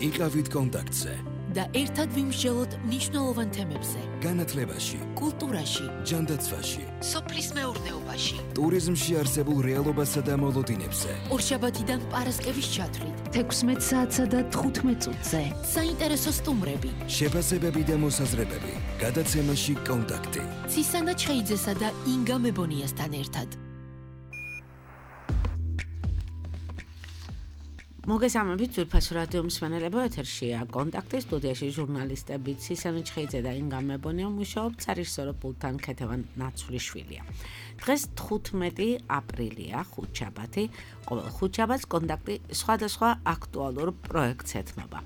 იყავით კონტაქტზე და ერთად ვიმსჯელოთ მნიშვნელოვან თემებზე. განათლებაში, კულტურაში, ჯანდაცვაში, სოფლის მეურნეობაში, ტურიზმში არსებულ რეალობასა და მოლოდინებზე. ორშაბათიდან პარასკევის ჩათვლით 16 საათსა და 15 წუთზე. საინტერესო სტუმრები, შეფასებები და მოსაზრებები. გადაცემაში კონტაქტი. ცისანა ჩხეიძესა და ინგა მებონიასთან ერთად. მოგესალმებით ძვირფას რადიო მსმენელებო, ეთერშია კონტაქტი, სტუდიაში ჟურნალისტები ცისანა ჩხეიძე და ინგა მებონია, მუშაობთ სარეჟისორო პულტთან ქეთევან ნაცვლიშვილია. დღეს 15 აპრილია, ხუთშაბათი. ყოველ ხუთშაბათს კონტაქტი სხვადასხვა აქტუალურ პროექტს ეთმობა.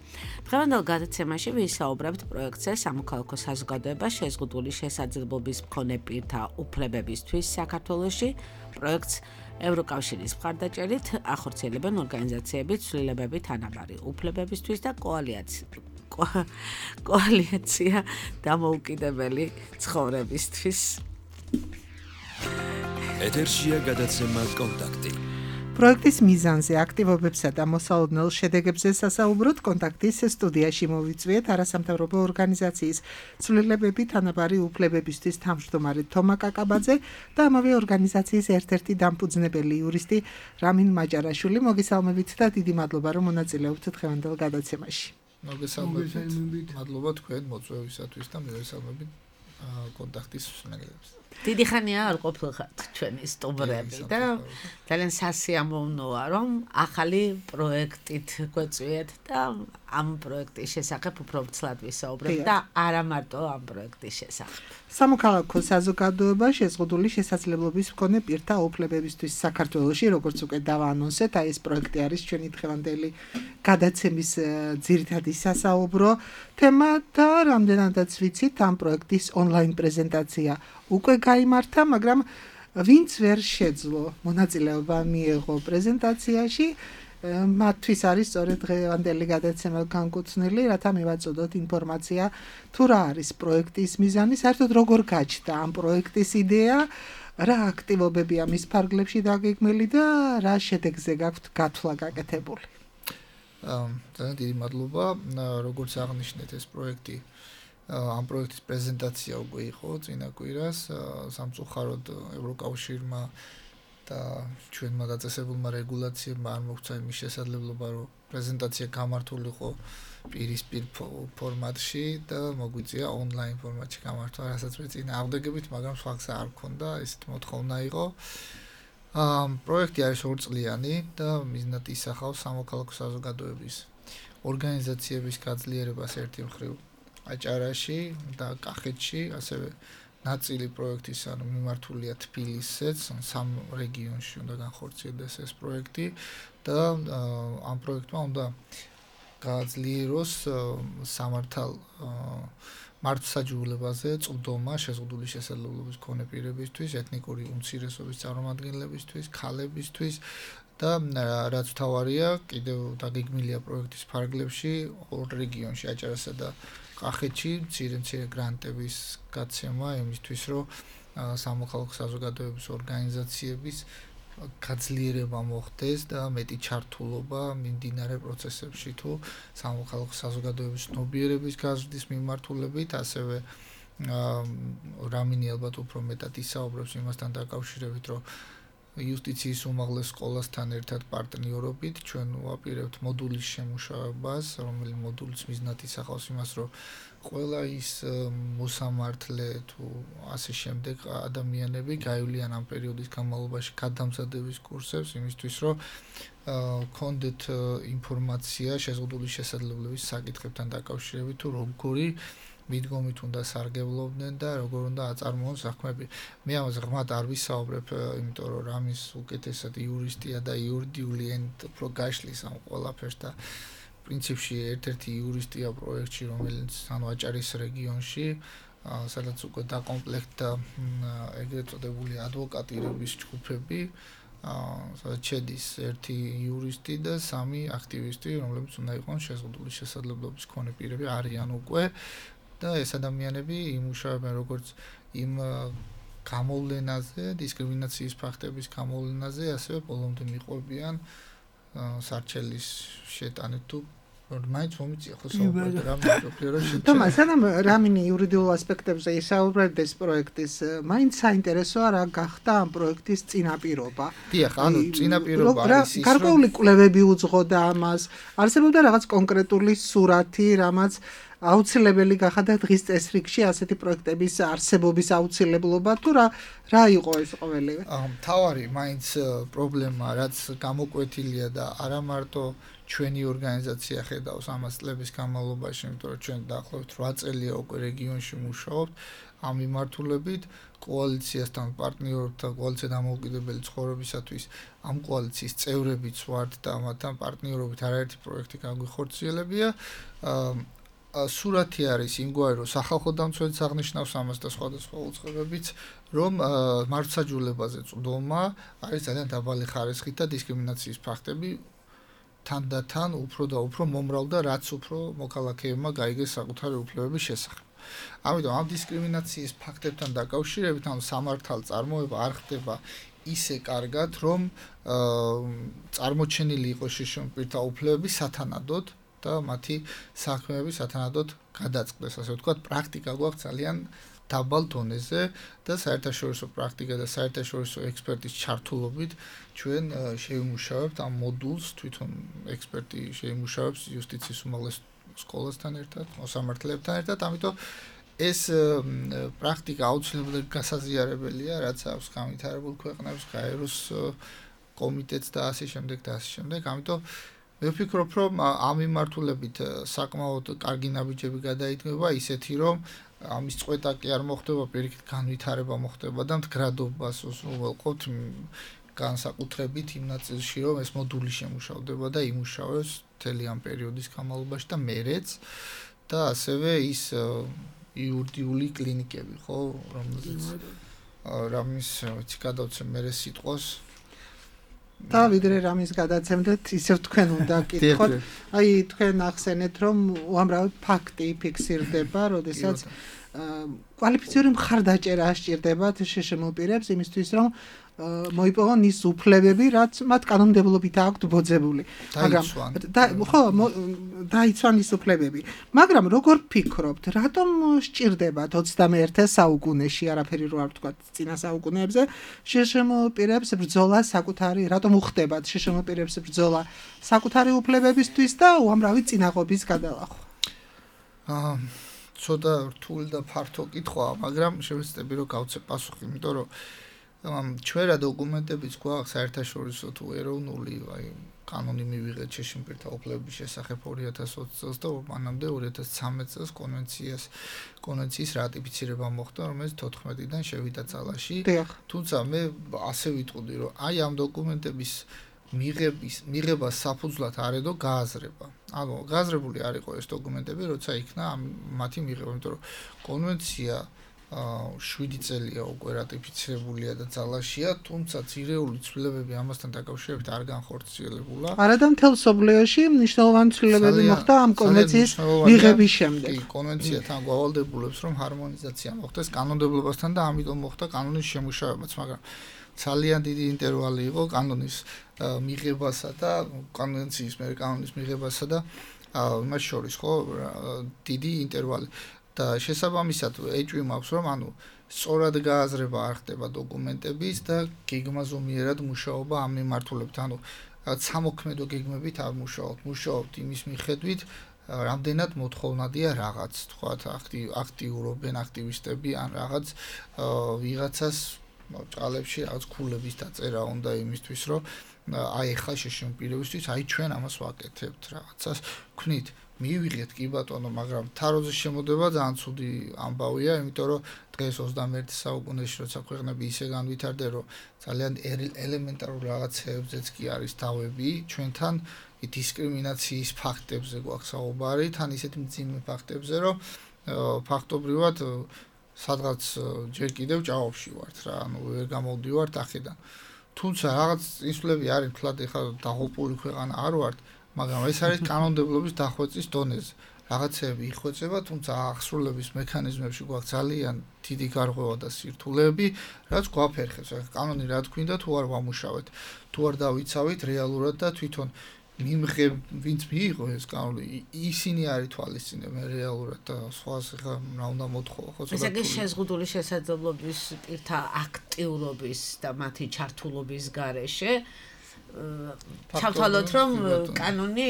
დღევანდელ გადაცემაში ვისაუბრებთ პროექტზე სამოქალაქო საზოგადოება შეზღუდული შესაძლებლობის მქონე პირთა უფლებებისთვის საქართველოში. პროექტს ევროკავშირის მხარდაჭერით ახორციელებენ ორგანიზაციები ცვლილებები თანაბარი უფლებებისთვის და კოალიცია დამოუკიდებელი ცხოვრებისთვის. ეთერშია გადაცემა კონტაქტი. პროექტის მიზანზე, აქტივობებსა და მოსალოდნელ შედეგებზე სასაუბროთ კონტაქტის სტუდიაში მოვიწვიეთ არასამთავრობო ორგანიზაციის ცვლილებები თანაბარი უფლებებისთვის თავმჯდომარე თომა კაკაბაძე და ამავე ორგანიზაციის ერთ-ერთი დამფუძნებელი იურისტი რამინ მაჭარაშვილი. მოგესალმებით და დიდი მადლობა რომ მონაწილეობთ დღევანდელ გადაცემაში. მოგესალმებით. მადლობა თქვენ მოწვევისათვის და მივესალმებით კონტაქტის მსმენელებს. დიდი ხანია არ ყოფილიყავთ ჩვენი სტუმრები და ძალიან სასიამოვნოა რომ ახალი პროექტით გვეწვიეთ და ამ პროექტის შესახებ უფრო ცლად ვისაუბრებთ და არა მარტო ამ პროექტის შესახებ. სამოქალაქო საზოგადოება შეზღუდული შესაძლებლობის მქონე პირთა უფლებებისთვის საქართველოში, როგორც უკვე დავაანონსეთ, აი ეს პროექტი არის ჩვენი დღევანდელი გადაცემის ძირითადი სასაუბრო თემა და რამდენადაც ვიცით, ამ პროექტის ონლაინ პრეზენტაცია უკვე გაიმართა, მაგრამ ვინც ვერ შეძლო მონაწილეობა მიეღო პრეზენტაციაში, მათთვის არის სწორედ დღევანდელი გადაცემა განკუთვნილი, რათა მივაწოდოთ ინფორმაცია თუ რა არის პროექტის მიზანი, საერთოდ როგორ გაჩნდა ამ პროექტის იდეა, რა აქტივობებია მის ფარგლებში დაგეგმილი და რა შედეგზე გაქვთ გათვლა გაკეთებული. ძალიან დიდი მადლობა, როგორც აღნიშნეთ ეს პროექტი ამ პროექტის პრეზენტაცია უკვე იყო წინა კვირას სამწუხაროდ ევროკავშირმა და ჩვენმა დაწესებულმა რეგულაციებმა არ მოგვცა იმის შესაძლებლობა რომ პრეზენტაცია გამართულიყო პირისპირ ფორმატში და მოგვიწია ონლაინ ფორმატში გამართვა, რასაც მე წინ ავდეგებით, მაგრამ სხვა გზა არ მქონდა, ესეთ მოთხოვნა იყო. პროექტი არის ორწლიანი და მიზნად ისახავს სამოქალაქო საზოგადოების ორგანიზაციების გაძლიერებას ერთი მხრივ აჭარაში და კახეთში, ასევე ნაწილი პროექტის ანუ მიმართულია თბილისზეც, სამ რეგიონში უნდა განხორციელდეს ეს პროექტი და ამ პროექტმა უნდა გააძლიეროს სამართალ მართლმსაჯულებაზე წვდომა შეზღუდული შესაძლებლობის მქონე პირებისთვის, ეთნიკური უმცირესობის წარმომადგენლებისთვის, ქალებისთვის და რაც თავარია, კიდევ დაგეგმილია პროექტის ფარგლებში ორ რეგიონში, აჭარასა და კახეთში მცირე გრანტების გაცემა იმისთვის, რომ სამოქალაქო საზოგადოების ორგანიზაციების გაძლიერება მოხდეს და მეტი ჩართულობა მიმდინარე პროცესებში თუ სამოქალაქო საზოგადოების ცნობიერების გაზრდის მიმართულებით, ასევე რამინი ალბათ უფრო მეტად ისაუბრებს იმასთან დაკავშირებით, რომ იუსტიციის უმაღლეს სკოლასთან ერთად პარტნიორობით ჩვენ ვაპირებთ მოდულის შემუშავებას, რომელიც მოდულიც მიზნად ისახავს იმას, რომ ყველა ის მოსამართლე თუ ასე შემდეგ ადამიანები გაივლიან ამ პერიოდის განმავლობაში გადამზადების კურსებს იმისთვის, რომ გქონდეთ ინფორმაცია შეზღუდული შესაძლებლობის საკითხებთან დაკავშირებით თუ როგორი მიდგომით უნდა სარგებლობდნენ და როგორ უნდა აწარმოონ საქმეები. მე ამაზე ღრმად არ ვისაუბრებ, იმიტომ რომ რამის უკეთესად იურისტია და იურიდიული ენით უფრო გაშლის ამ ყველაფერს და პრინციპში ერთ-ერთი იურისტია პროექტში, რომელიც ანუ აჭარის რეგიონში, სადაც უკვე დაკომპლექტდა ეგრეთ წოდებული ადვოკატირების ჯგუფები, სადაც შედის ერთი იურისტი და სამი აქტივისტი, რომლებიც უნდა იყვნენ შეზღუდული შესაძლებლობის მქონე პირები, არიან უკვე და ეს ადამიანები იმუშავებენ როგორც იმ გამოვლენაზე, დისკრიმინაციის ფაქტების გამოვლენაზე, ასევე ბოლომდე მიყვებიან სარჩელის შეტანით თუ მაინც მომიწია ხო საუბარი რა მეკითხე რა შეჭა. თომა, სანამ რამინი იურიდიულ ასპექტებზე ისაუბრებდა ეს პროექტის, მაინც საინტერესოა რა გახდა ამ პროექტის წინაპირობა. დიახ, ანუ წინაპირობა არის ის, გარკვეული კვლევები უძღოდა ამას. არსებობდა რაღაც კონკრეტული სურათი, რამაც აუცილებელი გახადა დღის წესრიგში ასეთი პროექტების არსებობის აუცილებლობა თუ რა იყო ეს ყოველივე? თავარი მაინც პრობლემა, რაც გამოკვეთილია და არა მარტო ჩვენი ორგანიზაცია ხედავს ამას წლების განმავლობაში, იმიტომ რომ ჩვენ დაახლოებით 8 წელია უკვე რეგიონში მუშაობთ ამ მიმართულებით, კოალიციასთან პარტნიორობთ, კოალიცია დამოუკიდებელი ცხოვრებისათვის ამ კოალიციის წევრებიც ვართ და ამათთან პარტნიორობით არაერთი პროექტი გაგვიხორციელებია. სურათი არის იმგვარი, რომ სახალხო დამცველიც აღნიშნავს ამას და სხვადასხვა უწყებებიც, რომ მართლმსაჯულებაზე წვდომა არის ძალიან დაბალი ხარისხით და დისკრიმინაციის ფაქტები თან უფრო და უფრო მომრავლდა, რაც უფრო მოქალაქეებმა გაიგეს საკუთარი უფლებების შესახებ. ამიტომ ამ დისკრიმინაციის ფაქტებთან დაკავშირებით, ანუ სამართალ წარმოება არ ხდება ისე კარგად, რომ წარმოჩენილი იყოს შიშრომის პირთა უფლებები სათანადოდ და მათი საქმეები სათანადოდ გადაწყდეს, ასე ვთქვათ, პრაქტიკა გვაქვს ძალიან დაბალ დონეზე და საერთაშორისო პრაქტიკა და საერთაშორისო ექსპერტის ჩართულობით ჩვენ შევიმუშავებთ ამ მოდულს, თვითონ ექსპერტი შეიმუშავებს იუსტიციის უმაღლეს სკოლასთან ერთად, მოსამართლეებთან ერთად, ამიტომ ეს პრაქტიკა აუცილებლად გასაზიარებელია, რაც აქვს განვითარებულ ქვეყნებს, გაეროს კომიტეტს და ასე შემდეგ და ასე შემდეგ, ამიტომ მე ვფიქრობ, რომ ამ მიმართულებით საკმაოდ კარგი ნაბიჯები გადაიდგება, ისეთი რომ ამის წყვეტა კი არ მოხდება, პირიქით განვითარება მოხდება და მდგრადობას უზრუნველყოფთ განსაკუთრებით იმ ნაწილში, რომ ეს მოდული შემუშავდება და იმუშავებს მთელი ამ პერიოდის განმავლობაში და მერეც და ასევე ის იურიდიული კლინიკები, ხო, რომელზეც რამის გადავცემ მერე სიტყვას და ვიდრე რამის გადაცემდეთ, ისევ თქვენ უნდა გკითხოთ. აი, თქვენ ახსენეთ, რომ უამრავი ფაქტი ფიქსირდება, როდესაც კვალიფიციური მხარდაჭერა სჭირდებათ შშმ პირებს იმისთვის, რომ მოიპოვონ ის უფლებები, რაც მათ კანონმდებლობით აქვთ ბოძებული. დაიცვან ის უფლებები. მაგრამ როგორ ფიქრობთ, რატომ სჭირდებათ 21 საუკუნეში, არაფერი რო არ ვთქვათ წინა საუკუნეებზე, შშმ პირებს ბრძოლა საკუთარი, რატომ უხდებათ შშმ პირებს ბრძოლა საკუთარი უფლებებისთვის და უამრავი წინაღობის გადალახვა? ცოტა რთული და ფართო კითხვაა, მაგრამ შევეცდები რომ გავცე პასუხი, იმიტომ რომ ჩვენ რა დოკუმენტებიც გვაქვს საერთაშორისო თუ ეროვნული, აი კანონი მივიღეთ შშმ პირთა უფლებების შესახებ 2020 წელს და მანამდე 2013 წელს კონვენციის რატიფიცირება მოხდა, რომელიც 14-დან შევიდა ძალაში. თუმცა მე ასე ვიტყოდი, რომ აი ამ დოკუმენტების მიღება საფუძვლად არ ედო გააზრება. ანუ გააზრებული არ იყო ეს დოკუმენტები, როცა იქნა მათი მიღება, იმიტომ რომ კონვენცია 7 წელია უკვე რატიფიცირებულია და ძალაშია, თუმცა ძირეული ცვლილებები ამასთან დაკავშირებით არ განხორციელებულა. არადა მთელ სოფლიოში მნიშვნელოვანი ცვლილებები მოხდა ამ კონვენციის მიღების შემდეგ. კი, კონვენცია თან გვავალდებულებს, რომ ჰარმონიზაცია მოხდეს კანონმდებლობასთან და ამიტომ მოხდა კანონის შემუშავებაც, მაგრამ ძალიან დიდი ინტერვალი იყო კანონის მიღებასა და კონვენციის კანონის მიღებასა და იმას შორის, ხო, დიდი ინტერვალი. და შესაბამისად ეჭვი მაქვს, რომ ანუ სწორად გააზრება არ ხდება დოკუმენტების და გეგმაზომიერად მუშაობა ამ მიმართულებით, ანუ სამოქმედო გეგმებით არ მუშაობთ იმის მიხედვით, რამდენად მოთხოვნადია რაღაც, თქვათ, აქტიურობენ აქტივისტები ან რაღაც ვიღაცას ჭალებში რაღაც ქულების დაწერა უნდა იმისთვის, რომ აი ახლა შშმ პირებისთვის, აი ჩვენ ამას ვაკეთებთ რაღაცას, ვქნით მივიღეთ კი ბატონო, მაგრამ თაროზე შემოდება ძალიან ცუდი ამბავია, იმიტომ რომ დღეს 21 საუკუნეში როცა ქვეყნები ისე განვითარდნენ, რომ ძალიან ელემენტარულ რაღაცებზეც კი არის დავები, ჩვენთან დისკრიმინაციის ფაქტებზე გვაქვს საუბარი, თან ისეთი მძიმე ფაქტებზე, რომ ფაქტობრივად სადღაც ჯერ კიდევ ჭაობში ვართ რა, ანუ ვერ გამოვდივართ აქედან. თუმცა რაღაც ისვლები არის, თლად ეხლა დაღუპული ქვეყანა არ ვართ, მაგრამ ეს არის კანონმდებლობის დახვეწის დონეზე. რაღაცები იხვეწება, თუმცა აღსრულების მექანიზმებში გვაქვს ძალიან დიდი გარღვევა და სირთულეები, რაც გვაფერხებს. კანონი რა თქვინდა, თუ არ ვამუშავეთ, თუ არ დავიცავით რეალურად და თვითონ ვინც მიიღო ეს კანონი, ისინი არის თვალისწინებენ რეალურად და სხვას ხა რა უნდა მოთხოვო, ხო ცოტა. ესე იგი შეზღუდული შესაძლებლობის პირთა აქტიურობის და მათი ჩართულობის გარეშე ჩავთვალოთ რომ კანონი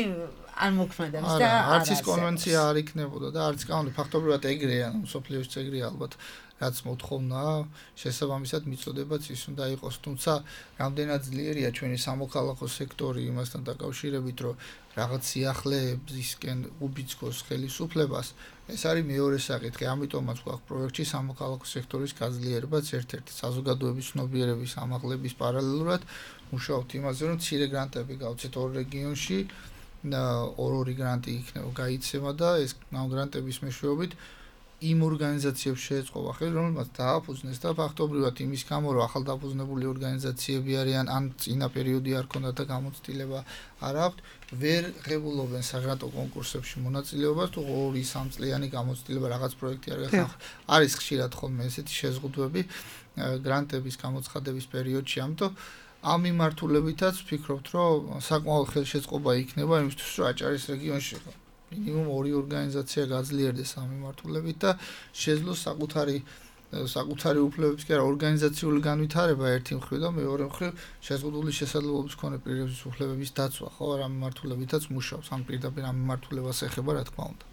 არ მოქმედებს და არც ის კონვენცია არ იქნებოდა და არც კანონი ფაქტობრივად ეგრეა, მსოფლიოს ეგრეა ალბათ. რაც მოთხოვნაა, შესაბამისად მიწოდებაც ის უნდა იყოს, თუმცა რამდენად ძლიერია ჩვენი სამოქალაქო სექტორი იმასთან დაკავშირებით, რომ რაღაც სიახლეებისკენ უბიძგოს ხელისუფლებას, ეს არის მეორე საკითხი, ამიტომაც გვაქვს პროექტში სამოქალაქო სექტორის გაძლიერებაც ერთ-ერთი საზოგადოების ცნობიერების ამაღლების პარალელურად მუშაობთ იმაზე, რომ მცირე გრანტები გავცეთ ორ რეგიონში, ორი გრანტი იქნება გაიცემა და ეს გრანტების მეშვეობით იმ ორგანიზაციებს შეეწყობა ხელი, რომელმაც დააფუძნეს და ფაქტობრივად იმის გამო, რომ ახალდაფუძნებული ორგანიზაციები არიან, ან წინა პერიოდი არ ქონდათ და გამოცდილება არ აქვთ, ვერ ღებულობენ საგრანტო კონკურსებში მონაწილეობას, თუ 2-3 წლიანი გამოცდილება რაღაც პროექტი არ გახსნა. არის ხშირად ხოლმე ესეთი შეზღუდვები გრანტების გამოცხადების პერიოდში, ამიტომ ამ მიმართულებითაც ვფიქრობთ, რომ საკმაოდ ხელშეწყობა იქნება იმისთვის, რომ აჭარის რეგიონში მინიმუმ ორი ორგანიზაცია გაძლიერდეს ამ მიმართულებით და შეძლოს საკუთარი უფლებების კი არა ორგანიზაციული განვითარება ერთი მხრივ და მეორე მხრივ შეზღუდული შესაძლებლობის მქონე პირების უფლებების დაცვა, ხო, ამ მიმართულებითაც მუშაობს, ამ პირდაპირ ამ მიმართულებას ეხება, რა თქმა უნდა.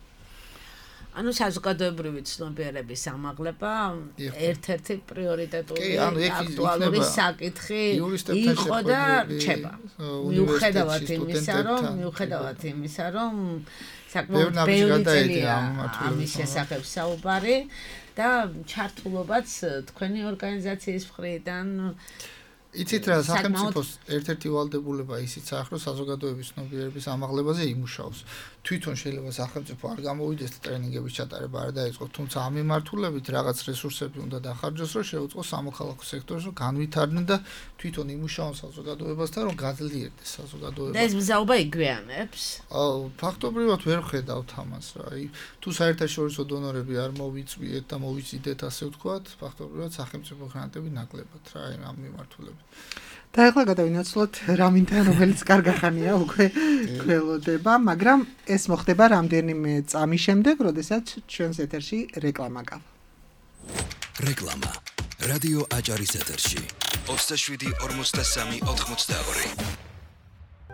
ანუ საზოგადოებრივი ცნობიერების ამაღლება ერთ-ერთი პრიორიტეტული აქტუალური საკითხი იყო და რჩება. მიუხედავად იმისა, რომ საკმაოდ ბევრი წელია ამის შესახებ საუბარი და ჩართულობაც თქვენი ორგანიზაციის მხრიდან იცით რა, სახელმწიფოს ერთ-ერთი ვალდებულება ისიც აქვს, რომ საზოგადოების ცნობიერების ამაღლებაზე იმუშაოს. თვითონ შეიძლება სახელმწიფო არ გამოვიდეს და ტრენინგების ჩატარება არ დაიწყოს, თუმცა ამ მიმართულებით რაღაც რესურსები უნდა დახარჯოს, რომ შეუწყოს სამოქალაქო სექტორს, რომ განვითარდნენ და თვითონ იმუშაონ საზოგადოებასთან, რომ გაძლიერდეს საზოგადოება. და ეს მზაობა იგვიანებს? ფაქტობრივად ვერ ვხედავთ ამას რა. თუ საერთაშორისო დონორები არ მოვიწვიეთ და მოვიზიდეთ, ასე ვთქვათ, ფაქტობრივად სახელმწიფო გრანტები ნაკლებად რა ამ მიმართულებით. და ახლა გადავინაცვლოთ რამინთან, რომელიც კარგახანია უკვე გველოდება, მაგრამ ეს მოხდება რამდენიმე წამის შემდეგ, როდესაც ჩვენს ეთერში რეკლამა გავა. რეკლამა. რადიო აჭარის ეთერში. 27-43-82.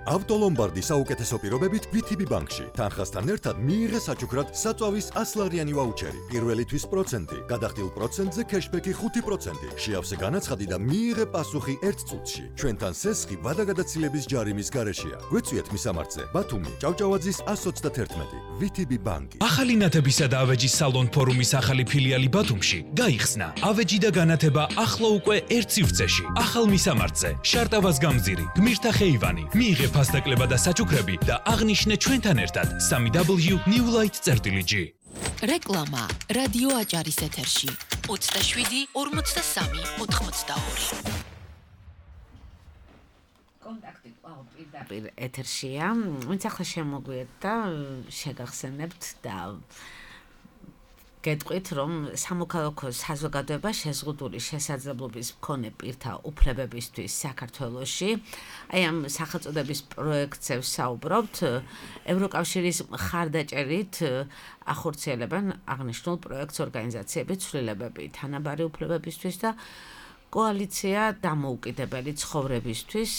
ავტოლომბარდი საუკეთესო პირობებით VTB ბანკში. თანხასთან ერთად მიიღე საჩუქრად საწვავის 100-ლარიანი ვაუჩერი. პირველი თვის პროცენტი, გადახდილ პროცენტზე кэშბექი 5%. შეავსე განაცხადი და მიიღე პასუხი 1 წუთში. ჩვენთან სესხი ვადაგადაცილების ჯარიმის გარეშეა. გვეწვიეთ მისამართზე. ბათუმი, ჭავჭავაძის 131. VTB ბანკი. ახალი ნათებისა და ავეჯის სალონ ფორუმის ახალი ფილიალი ბათუმში გაიხსნა. ავეჯი და განათება ახლა უკვე ერთ სივრცეში. ახალ მისამართზე. შარტავას გამზირი, გმირთა ხეივანი. მიიღე ფასდაკლება და საჩუქრები და აღნიშნე ჩვენთან ერთად 3W Newlight.g. რეკლამა რადიო აჭარის ეთერში 27-43-82. კონტაქტი პირდაპირ ეთერშია. ვინც ახლა შემოგვიეთ და შეგახსენებთ და გეტყვით, რომ სამოქალაქო საზოგადოება შეზღუდული შესაძლებლობის მქონე პირთა უფლებებისთვის საქართველოში, აი ამ სახელწოდების პროექტზე ვსაუბრობთ, ევროკავშირის მხარდაჭერით ახორციელებენ აღნიშნულ პროექტს ორგანიზაციები ცვლილებები თანაბარი უფლებებისთვის და კოალიცია დამოუკიდებელი ცხოვრებისთვის.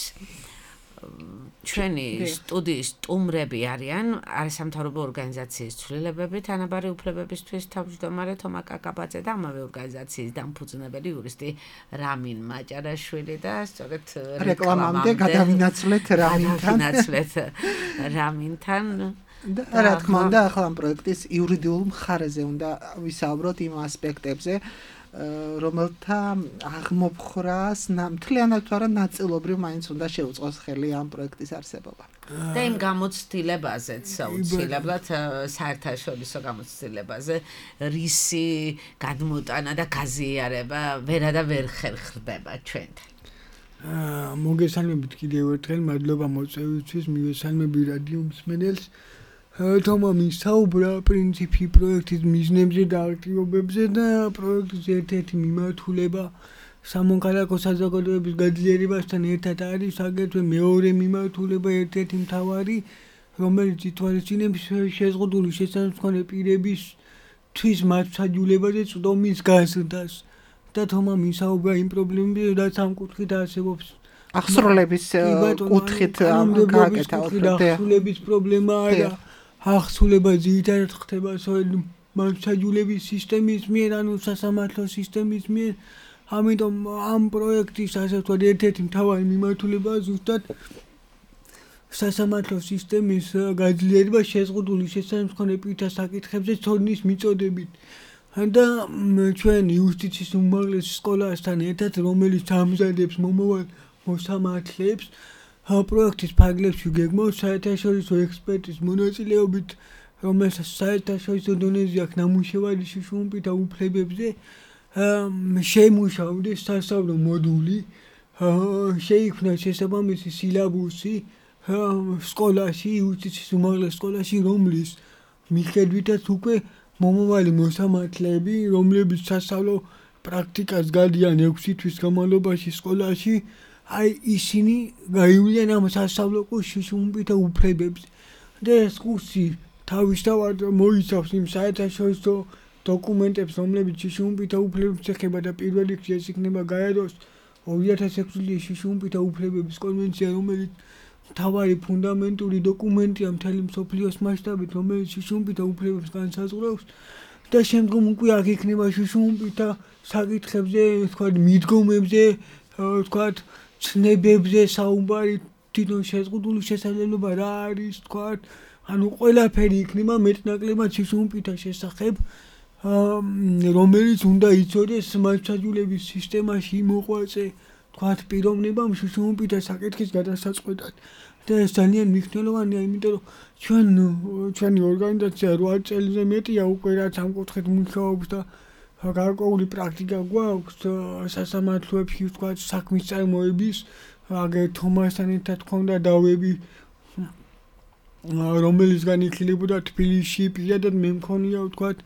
ჩვენი სტუდიის სტუმრები არიან არასამთავრობო ორგანიზაციის ცვლილებები თანაბარი უფლებებისთვის თავმჯდომარე თომა კაკაბაძე და ამავე ორგანიზაციის დამფუძნებელი იურისტი რამინ მაჭარაშვილი და სწორედ რეკლამამდე გადავინაცვლეთ რამინთან. რა თქმა უნდა, ახლა ამ პროექტის იურიდიულ მხარეზე უნდა ვისაუბროთ იმ ასპექტებზე, რომელთა აღმოფხრას მთლიანად თუ არა ნაწილობრივ მაინც უნდა შეუწყოს ხელი ამ პროექტის არსებობა. და იმ გამოცდილებაზეც აუცილებლად საერთაშორისო გამოცდილებაზე რისი გადმოტანა და გაზიარება ვერა და ვერ ხერხდება ჩვენთან. მოგესალმებით კიდევ ერთხელ, მადლობა მოწვევისთვის, მივესალმები რადიო მსმენელს. თომა მისაუბრა პრინციპი პროექტის მიზნებზე და აქტივობებზე და პროექტის ერთ-ერთი მიმართულება სამოქალაქო საზოგადოების გაძლიერებასთან ერთად არის აგრეთვე მეორე მიმართულება ერთ-ერთი მთავარი, რომელიც ითვალისწინებს შეზღუდული შესაძლებელი პირებისთვის მართლმსაჯულებაზე წვდომის გაზრდას. და თომა მისაუბრა იმ პრობლემებზე, რაც ამ კუთხით არსებობს. ახსროლების კუთხით გააკეთა ახსროლების პრობლემაა და ახსრულება ძირითადად ხდება მართლმსაჯულების სისტემის მიერ, ანუ სასამართლო სისტემის მიერ. ამიტომ ამ პროექტის ასე ვთქვათ ერთ-ერთი მთავარი მიმართულებაა ზუსტად სასამართლო სისტემის გაძლიერება შეზღუდული შესაძლებელი პირთა საკითხებზე ცოდნის მიწოდებით. და ჩვენ იუსტიციის უმაღლეს სკოლასთან ერთად, რომელიც ამზადებს მომავალ მოსამართლეებს, პროექტის ფარგლებში გეგმავს საერთაშორისო ექსპერტის მონაწილეობით, რომელსაც საერთაშორისო დონეზე აქვს ნამუშევარი შუშუმპირთა უფლებებზე, შემუშავდეს სასწავლო მოდული, შეიქმნა შესაბამისი სილაბუსი სკოლაში, იუსტიციის უმაღლეს სკოლაში, რომლის მიხედვითაც უკვე მომავალი მოსამართლეები, რომლებიც სასწავლო პრაქტიკას გადიან 6 თვის განმავლობაში სკოლაში, აი ისინი გაივლიან ამ სასწავლო კურსში შუშუმპირთა უფლებებზე. და ეს კურსი თავისთავად მოიცავს იმ საერთაშორისო დოკუმენტებს, რომლებიც შუშუმპირთა უფლებებს ეხება და პირველ რიგში ეს იქნება გაეროს 2006 წლის შუშუმპირთა უფლებების კონვენცია, რომელიც მთავარი ფუნდამენტური დოკუმენტია მთელი მსოფლიოს მასშტაბით, რომელიც შუშუმპირთა უფლებებს განსაზღვრავს და შემდგომ უკვე აქ იქნება შუშუმპირთა საკითხებზე, თქვათ მიდგომებზე, თქვათ ცნებებზე საუბარი, თვითონ შეზღუდული შესაძლებლობა რა არის, თქვათ, ანუ ყველაფერი იქნება მეტნაკლებად შუშუმპირთა შესახებ, რომელიც უნდა იცოდეს მართლმსაჯულების სისტემაში მოღვაწე, თქვათ, პიროვნებამ შუშუმპირთა საკითხის გადასაწყვეტად. და ეს ძალიან მნიშვნელოვანია, იმიტომ რომ ჩვენი ორგანიზაცია 8 წელზე მეტია უკვე რაც ამ კუთხით მუშაობს და გარკვეული პრაქტიკა გვაქვს სასამართლოებში, თქვათ, საქმის წარმოების, აგერ თომასთან ერთად ქონდა დავები, რომელისგან იხილებოდა თბილისში, პირადად მე მქონია, თქვათ,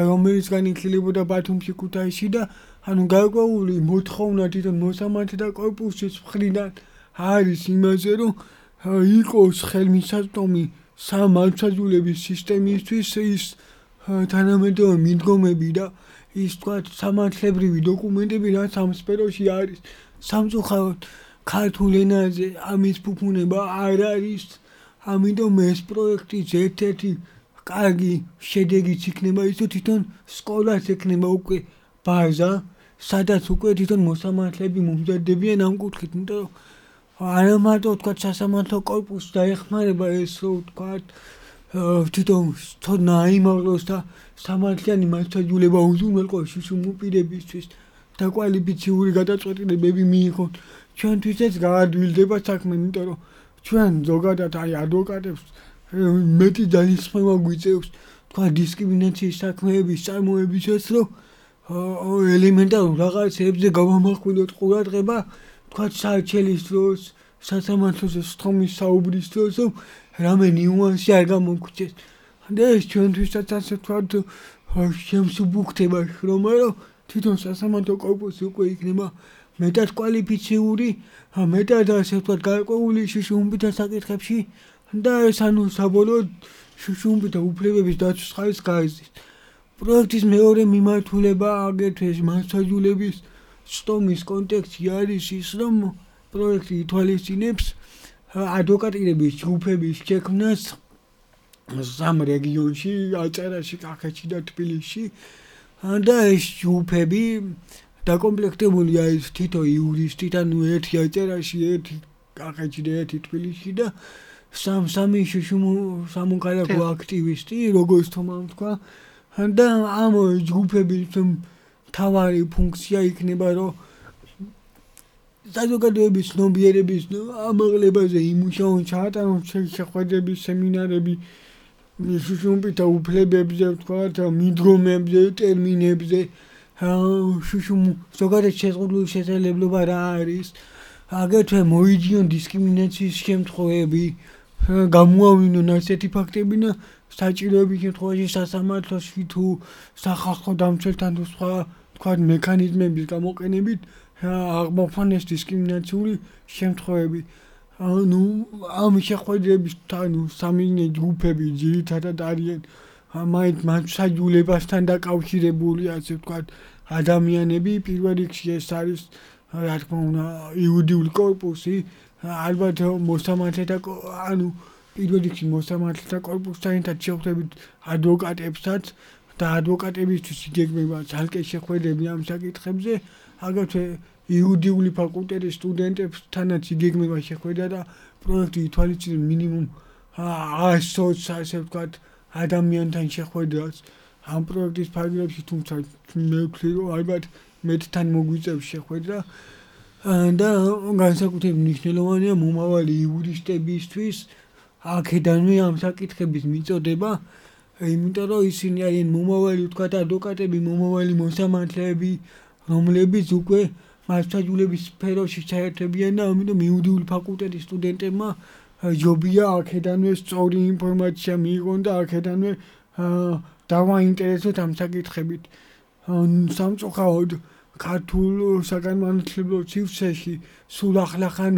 რომელისგან იხილებოდა ბათუმში, ქუთაისში და ანუ გარკვეული მოთხოვნა თვითონ მოსამართლეთა კორპუსის მხრიდან არის იმაზე, რომ იყოს ხელმისაწვდომი მართლმსაჯულების სისტემისთვის ის თანამედროვე მიდგომები და ის თქვათ სამართლებრივი დოკუმენტები, რაც ამ სფეროში არის. სამწუხაროდ ქართულ ენაზე ამის ფუფუნება არ არის, ამიტომ ეს პროექტი ერთ-ერთი კარგი შედეგიც იქნება ის, რომ თვითონ სკოლას ექნება უკვე ბაზა, სადაც უკვე თვითონ მოსამართლეები მომზადდებიან ამ კუთხით, იმიტომ რომ არა მარტო თქვათ სასამართლო კორპუსს დაეხმარება ეს, რომ თქვათ თვითონ ცოდნა აიმაღლოს და სამართლიანი მართლმსაჯულება უზრუნველყოს შუშუმპირებისთვის და კვალიფიციური გადაწყვეტილებები მიიღონ. ჩვენთვისაც გაადვილდება საქმე, იმიტომ რომ ჩვენ ზოგადად აი ადვოკატებს მეტი ძალისხმევა გვიწევს, თქვათ დისკრიმინაციის საქმეების წარმოებისას, რომ ელემენტარულ რაღაცებზე გავამახვილოთ ყურადღება, თქვათ საარჩელის დროს, სასამართლოზე სხდომის საუბრის დროს, რომ რამე ნიუანსი არ გამოგვქცეს. და ეს ჩვენთვისაც ასე ვთქვათ შემსუბუქდება შრომა, რომ თვითონ სასამართლო კორპუსი უკვე იქნება მეტად კვალიფიციური, მეტად ასე ვთქვათ გარკვეული შუშუმპირთა საკითხებში და ეს ანუ საბოლოოდ შუშუმპირთა უფლებების დაცვის ხარისხს გაიზრდის. პროექტის მეორე მიმართულება აგრეთვე მართლმსაჯულების ცდომის კონტექსტში არის ის, რომ პროექტი ითვალისწინებს ადვოკატირების ჯგუფების შექმნას 3 რეგიონში, აჭარაში, კახეთში და თბილისში და ეს ჯგუფები დაკომპლექტებულია ის თითო იურისტით, ანუ ერთი აჭარაში, ერთი კახეთში და ერთი თბილისში და სამი სამოქალაქო აქტივისტი, როგორც თომამ თქვა, და ამ ჯგუფების მთავარი ფუნქცია იქნება, რომ საზოგადოების ცნობიერების ამაღლებაზე იმუშაონ, ჩაატარონ შეხვედრების, სემინარები შუშუმპირთა უფლებებზე, ვთქვათ, მიდგომებზე, ტერმინებზე, ზოგადად შეზღუდული შესაძლებლობა რა არის, აგრეთვე მოიძიონ დისკრიმინაციის შემთხვევები, გამოავლინონ ასეთი ფაქტები და საჭიროების შემთხვევაში სასამართლოში თუ სახალხო დამცველთან თუ სხვა თქვათ მექანიზმების გამოყენებით აღმოფხანეს დისკრიმინაციული შემთხვევები. ანუ ამ შეხვედრების სამი ჯგუფები ძირითადად არიან მათ საჯულებასთან დაკავშირებული, ასე ვთქვათ, ადამიანები. პირველ რიგში ეს არის, რა თქმა უნდა, იუდიული კორპუსი, ალბათ მოსამართლეთა ანუ პირველ რიგში მოსამართლეთა კორპუსთან ერთად შევხვდებით ადვოკატებსაც და ადვოკატებისთვის იგეგმება ძალკე შეხვედრები ამ საკითხებზე. აგრეთვე იუდიული ფაკულტეტის სტუდენტებთანაც იგეგმება შეხვედრა და პროექტი ითვალისწინებს მინიმუმ 100-ს, ასე ვთქვათ, ადამიანთან შეხვედრას ამ პროექტის ფარგლებში, თუმცა მე ვთვლი, რომ ალბათ მეტთან მოგვიწევს შეხვედრა და განსაკუთრებით მნიშვნელოვანია მომავალი იურისტებისთვის აქედანვე ამ საკითხების მიწოდება, იმიტომ რომ ისინი არიან მომავალი, ვთქვათ, ადვოკატები, მომავალი მოსამართლეები, რომლებიც უკვე მასშტაბების სფეროში ჩაერთვებიან და ამიტომ იუდიული ფაკულტეტის სტუდენტებმა ჯობია აქედანვე სწორი ინფორმაცია მიიღონ და აქედანვე დავაინტერესოთ ამ საკითხებით. სამწუხაროდ ქართულ საგანმანათლებლო სივრცეში სულ ახლახან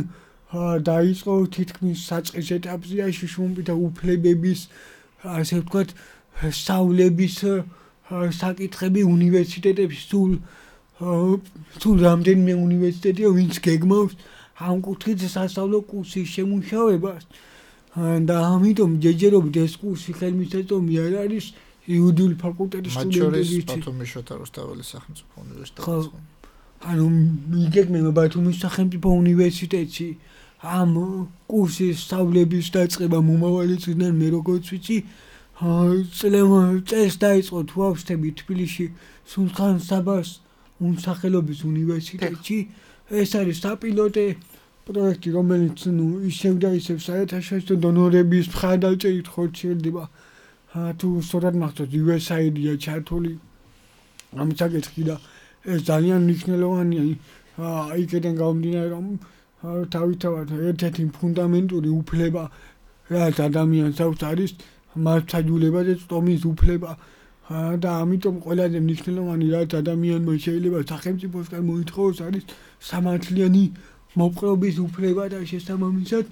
დაიწყო თითქმის საწყის ეტაპზეა შუშუმები და უფლებების, ასე ვთქვათ, სწავლების საკითხები უნივერსიტეტებში. სულ რამდენიმე უნივერსიტეტია, ვინც გეგმავს ამ კუთხით სასწავლო კურსის შემუშავებას და ამიტომ ჯერჯერობით ეს კურსი ხელმისაწვდომი არ არის იუდიული ფაკულტეტის სტუდენტებისთვის. ბათუმის შოთა რუსთაველის სახელმწიფო უნივერსიტეტი. ანუ იგეგმება ბათუმის სახელმწიფო უნივერსიტეტში ამ კურსის სწავლების დაწყება მომავალი წლიდან, მე როგორც ვიცი, წელს დაიწყო თუ ავსთები თბილისში სულხან საბას სახელობის უნივერსიტეტში. ეს არის საპილოტე პროექტი, რომელიც ისევ და ისევ საერთაშორისო დონორების მხარდაჭერით ხორციელდება. თუ სწორად მახსოვს, USAID-ია ჩართული ამ საკითხში და ეს ძალიან მნიშვნელოვანია. იქიდან გამომდინარე, რომ თავისთავად ერთ-ერთი ფუნდამენტური უფლება, რაც ადამიანს აქვს, არის მასშტაბებაზე წვდომის უფლება. და ამიტომ ყველაზე მნიშვნელოვანი, რაც ადამიანმა შეიძლება სახელმწიფოსგან მოითხოვოს, არის სამართლიანი მოპყრობის უფლება და შესაბამისად,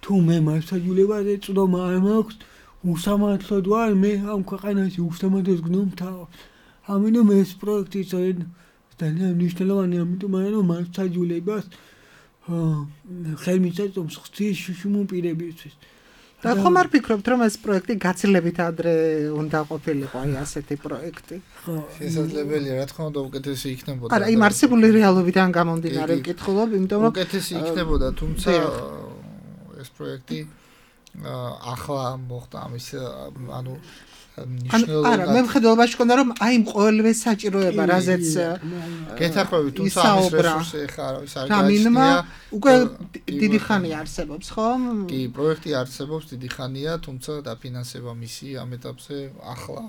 თუ მე მასშტაბებაზე წვდომა არ მაქვს, უსამართლოდ ვარ, მე ამ ქვეყანაში უსამართლოს გნომთავ. ამიტომ ეს პროექტი ძალიან მნიშვნელოვანია, ამიტომ რომ მასშტაბებს ხელმისაწვდომს ხდის შუშუმ პირებისთვის. და ხომ არ ფიქრობთ, რომ ეს პროექტი გაცილებით ადრე უნდა ყოფილიყო, აი ასეთი პროექტი? შესაძლებელია, რა თქმა უნდა, უკეთესი იქნებოდა. არა, იმ არსებული რეალობიდან გამომდინარე ვკითხულობ, იმიტომ რომ უკეთესი იქნებოდა, თუმცა ეს პროექტი ახლა მოხდა ამის, ანუ არა, მე მხედველობაში მქონდა, რომ აი ყოველივე საჭიროება, რაზეც გეთახვევით, თუმცა ამის რესურსი ხა არავის არ გააჩნია. უკვე დიდი ხანია არსებობს, ხო? კი, პროექტი არსებობს დიდი ხანია, თუმცა დაფინანსება მისი ამ ეტაპზე ახლა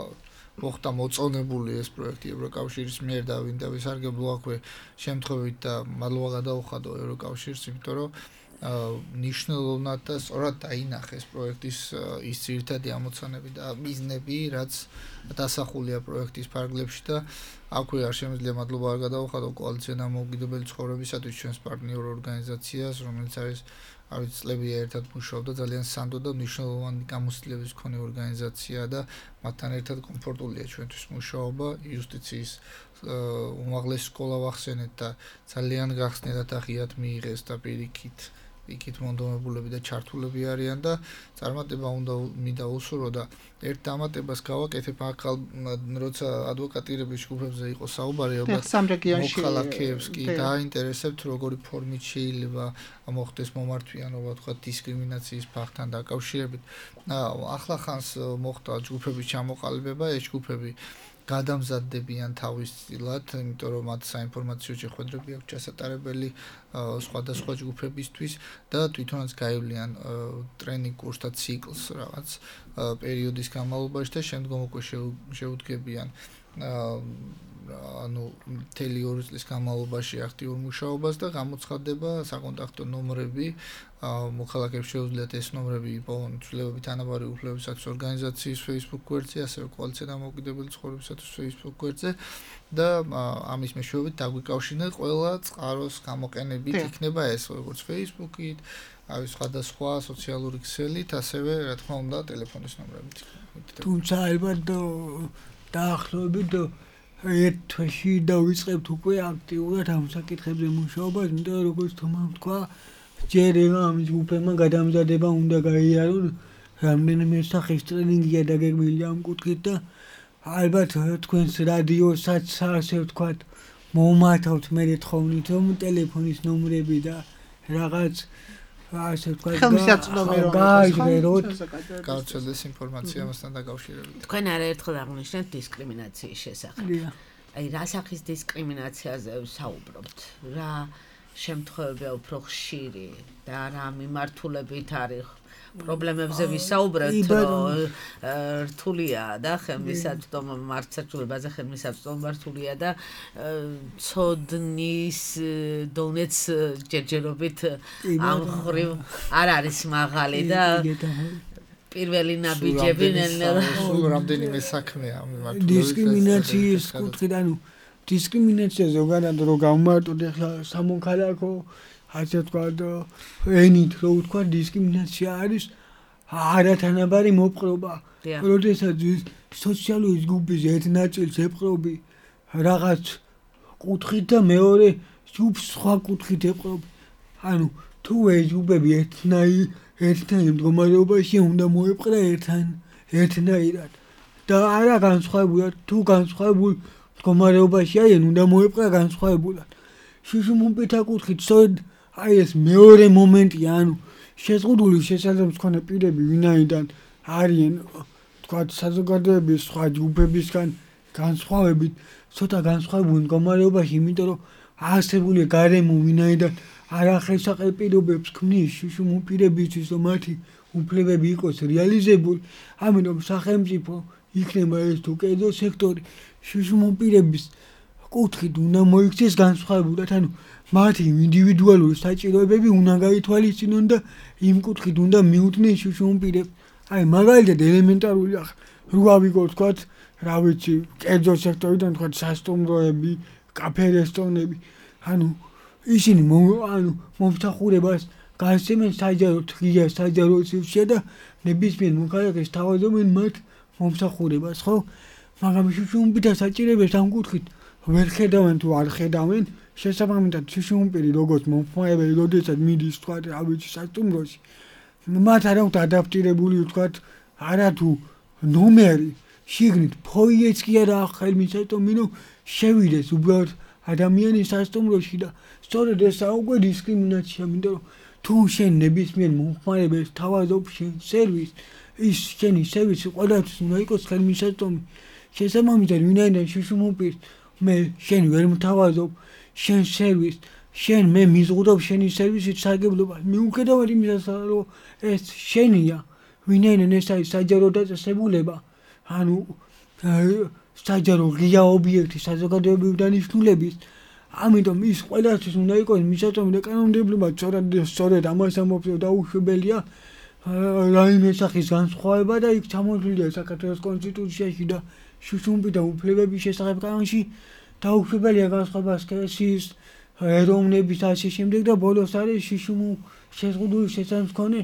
მოხდა მოწონებული ეს პროექტი ევროკავშირის მიერ და ვინ დავისარგებლო აქვე შემთხვევით და მადლობა გადაუხადო ევროკავშირს, იმიტომ რომ ნიშნულოვნად და სწორად დაინახეს პროექტის ის ძირითადი ამოცანები და მიზნები, რაც დასახულია პროექტის ფარგლებში და აქვე არ შემიძლია მადლობა არ გადაუხადო კოალიცია დამოუკიდებელი ცხოვრებისათვის ჩვენს პარტნიორ ორგანიზაციას, რომელიც არის არის წლებია ერთად მუშაობდა, ძალიან სანდო და მნიშვნელოვანი გამოცდილების მქონე ორგანიზაცია და მათთან ერთად კომფორტულია ჩვენთვის მუშაობა. იუსტიციის უმაღლესი სკოლა ვახსენეთ და ძალიან გახსნილად აღიათ მიიღეს და პირიქით იქით მონდომებულები და ჩართულები არიან და წარმატება უნდა მინდა უსურო და ერთ დამატებას გავაკეთებ ახალ როცა ადვოკატირების ჯგუფებზე იყო საუბარი ალბათ მოქალაქეებს კი დაინტერესებთ როგორი ფორმით შეიძლება მოხდეს მომართვიანობა თქვა დისკრიმინაციის ფაქტთან დაკავშირებით ახლა ხანს მოხდა ჯგუფების ჩამოყალიბება ეს ჯგუფები გადამზადდებიან თავისწილად, იმიტომ რომ მათ საინფორმაციო შეხვედრები აქვს ჩასატარებელი სხვადასხვა ჯგუფებისთვის და თვითონაც გაივლიან ტრენინგ კურსთა ციკლს რაღაც პერიოდის განმავლობაში და შემდგომ უკვე შეუდგებიან ანუ მთელი 2 წლის განმავლობაში აქტიურ მუშაობას და გამოცხადდება საკონტაქტო ნომრები მოქალაქეებს შეუძლიათ ეს ნომრები იპოვონ ცვლილებებით თანაბარი უფლებებისათვის ორგანიზაციის Facebook გვერდზე, ასევე კოალიცია დამოუკიდებელი ცხოვრებისათვის Facebook გვერდზე და ამის მეშვეობით დაგვიკავშირნეთ ყველა წყაროს გამოყენებით იქნება ეს როგორც Facebook-ით, სხვადასხვა სოციალური ქსელით, ასევე რა თქმა უნდა ტელეფონის ნომრებით. თუმცა ალბათ დაახლოებით ერთ თვეში დავიწყებთ უკვე აქტიურად ამ საკითხებზე მუშაობას, იმიტომ რომ როგორც თომამ თქვა, ჯერ ამის უფლება გადამზადება უნდა გაიარონ, რამდენიმე სახის ტრენინგია დაგეგმილი ამ კუთხით და ალბათ თქვენს რადიოსაც ასე ვთქვათ, მომათავთ მე თხოვნით, რომ ტელეფონის ნომრები და რაღაც ასე ვთქვათ, გაიგეროთ, გავრცელდეს ინფორმაცია მასთან დაკავშირებით. თქვენ არაერთხელ აღნიშნეთ დისკრიმინაციის შესახებ. აი, რა სახის დისკრიმინაციაზე ვსაუბრობთ? რა შემთხვევებია უფრო ხშირი და რა მიმართულებით არის? პრობლემებზე ვისაუბრებთ, რომ რთულია და ხელმისაწვდომი მართლმსაჯულებაზე ხელმისაწვდომი რთულია და ცოდნის დონეც ჯერჯერობით ამ ხრივ არ არის მაღალი და პირველი ნაბიჯები სულ რამდენიმე საქმეა მიმართულებით დისკრიმინაციის კუთხით, ანუ დისკრიმინაცია ზოგადად რო გამარტოთ ახლა სამოქალაქო ასე ვთქვათ, ენით რო ვთქვათ, დისკრიმინაცია არის არათანაბარი მოპყრობა. როდესაც სოციალური ჯგუფის ერთ ნაწილს ეპყრობი რაღაც კუთხით და მეორე ჯგუფს სხვა კუთხით ეპყრობი. ანუ თუ ეს ჯგუფები ერთნაირ მდგომარეობაში უნდა მოეპყრა ერთნაირად და არა განსხვავებულად, თუ განსხვავებულ მდგომარეობაში არიან, უნდა მოეპყრა განსხვავებულად. შუშუმპითა კუთხით სწორედ აი ეს მეორე მომენტია, ანუ შეზღუდული შესაძლებლობის მქონე პირები ვინაიდან არიან თქვათ საზოგადოების სხვა ჯგუფებისგან განსხვავებით, ცოტა განსხვავებულ მდგომარეობაში, იმიტომ რომ არსებული გარემო ვინაიდან არახელსაყრელ პირობებს ქმნის შუშუმპირებისთვის, რომ მათი უფლებები იყოს რეალიზებული, ამიტომ სახელმწიფო იქნება ეს თუ კერძო სექტორი შუშუმპირების კუთხით უნდა მოიქცეს განსხვავებულად, ანუ მათი ინდივიდუალური საჭიროებები უნდა გაითვალისწინონ და იმ კუთხით უნდა მიუთნეს შუშუმპირებს. აი მაგალითად ელემენტარული რო ავიღოთ თქვათ, რა ვიცი, კერძო სექტორიდან თქვათ სასტუმროები, კაფე-რესტორნები, ანუ ისინი მომსახურებას გასცემენ საჯაროდ ღია საჯარო სივრცეში და ნებისმიერ მოქალაქეს თავაზობენ მათ მომსახურებას, ხო? მაგრამ შუშუმპირთა საჭიროებებს ამ კუთხით ვერ ხედავენ თუ არ ხედავენ, შესაბამისად შუშუმპირი როგორც მომხმარებელი, როდესაც მიდის თქვათ, რა ვიცი, სასტუმროში, მათ არ აქვთ ადაპტირებული თქვათ, არათუ ნომერი, შიგნით ფოიეც კი არა ხელმისაწვდომი, რომ შევიდეს უბრალოდ ადამიანი სასტუმროში და სწორედ ესა უკვე დისკრიმინაცია, იმიტომ რომ თუ შენ ნებისმიერ მომხმარებელს თავაზობ შენ სერვისს, ის შენი სერვისი ყველასთვის უნდა იყოს ხელმისაწვდომი. შესაბამისად ვინაიდან შუშუმპირს მე შენ ვერ მთავაზობ შენ სერვისს, შენ მე მიზღუდობ შენი სერვისით სარგებლობას. მიუხედავად იმისა, რომ ეს შენია, ვინაიდან ეს არის საჯარო დაწესებულება, ანუ საჯარო ღია ობიექტი საზოგადოებრივი დანიშნულების, ამიტომ ის ყველასთვის უნდა იყოს მისაწვდომი და კანონმდებლობა სწორედ ამას ამბობს, რომ დაუშვებელია რაიმე სახის განსხვავება და იქ ჩამოთვლილია საქართველოს კონსტიტუციაში და შუშუმპირთა უფლებების შესახებ კანონში დაუშვებელია განსხვავება სქესის, ეროვნების ასე შემდეგ და ბოლოს არის შეზღუდული შესაძლებლობის მქონე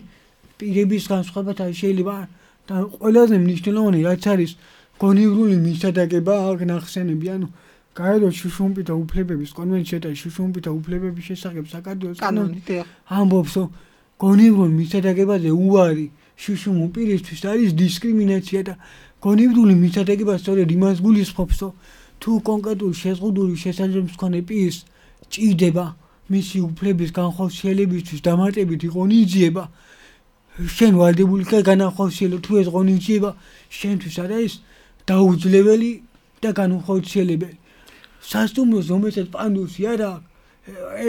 პირების განსხვავება შეიძლება და ყველაზე მნიშვნელოვანი რაც არის გონივრული მისადაგება აქ ნახსენები, ანუ გაეროს შუშუმპირთა უფლებების კონვენცია და შუშუმპირთა უფლებების შესახებ საქართველოს კანონი ამბობს, რომ გონივრულ მისადაგებაზე უარი შუშუმპირისთვის არის დისკრიმინაცია და გონივრული მისადაგება სწორედ იმას გულისხმობს, რომ თუ კონკრეტული შეზღუდული შესაძლებლობის მქონე პირს ჭირდება მისი უფლების განხორციელებისთვის დამატებითი ღონისძიება, შენ ვალდებული ხარ განახორციელო, თუ ეს ღონისძიება შენთვის არ არის დაუძლეველი და განუხორციელებელი. სასტუმროს რომელსაც პანდუსი არ აქვს,